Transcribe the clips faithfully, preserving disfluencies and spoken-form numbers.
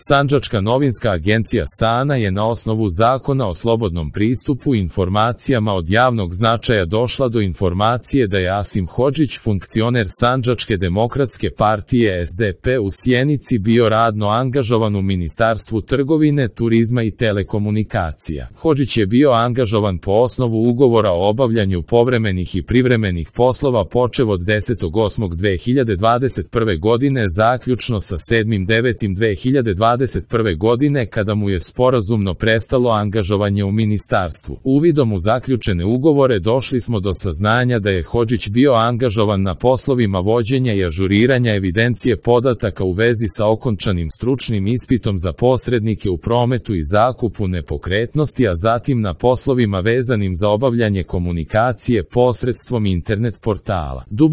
Sandžačka novinska agencija SANA je na osnovu Zakona o slobodnom pristupu informacijama od javnog značaja došla do informacije da je Asim Hodžić, funkcioner Sandžačke demokratske partije S D P u Sjenici, bio radno angažovan u Ministarstvu trgovine, turizma i telekomunikacija. Hodžić je bio angažovan po osnovu ugovora o obavljanju povremenih i privremenih poslova počev od desetog osmog dve hiljade dvadeset prve godine zaključno sa sedmog devetog dve hiljade dvadeset prve godine kada mu je sporazumno prestalo angažovanje u ministarstvu. Uvidom u zaključene ugovore došli smo do saznanja da je Hodžić bio angažovan na poslovima vođenja i ažuriranja evidencije podataka u vezi sa okončanim stručnim ispitom za posrednike u prometu i zakupu nepokretnosti, a zatim na poslovima vezanim za obavljanje komunikacije posredstvom internet portala w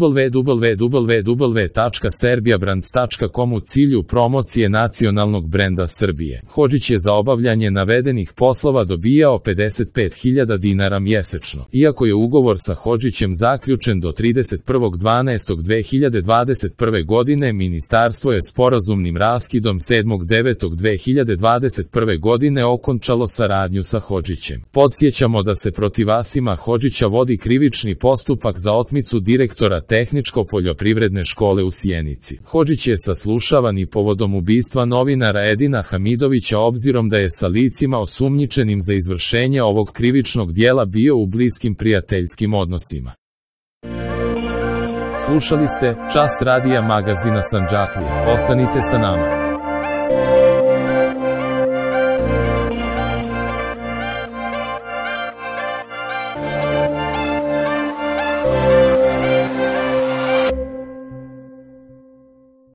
w w tačka serbijabrands tačka com u cilju promocije nacionalnog brenda Srbije. Hodžić je za obavljanje navedenih poslova dobijao pedeset pet hiljada dinara mjesečno. Iako je ugovor sa Hodžićem zaključen do trideset prvog dvanaestog dve hiljade dvadeset prve godine, ministarstvo je sporazumnim raskidom sedmog devetog dve hiljade dvadeset prve godine okončalo saradnju sa Hodžićem. Podsjećamo da se protiv Asima Hodžića vodi krivični postupak za otmicu direktora Tehničko-poljoprivredne škole u Sjenici. Hodžić je saslušavan i povodom ubistva novinara Edina Hamidovića, obzirom da je sa licima osumnjičenim za izvršenje ovog krivičnog dijela bio u bliskim prijateljskim odnosima. Slušali ste Čas radija magazina Sandžaklija. Ostanite sa nama.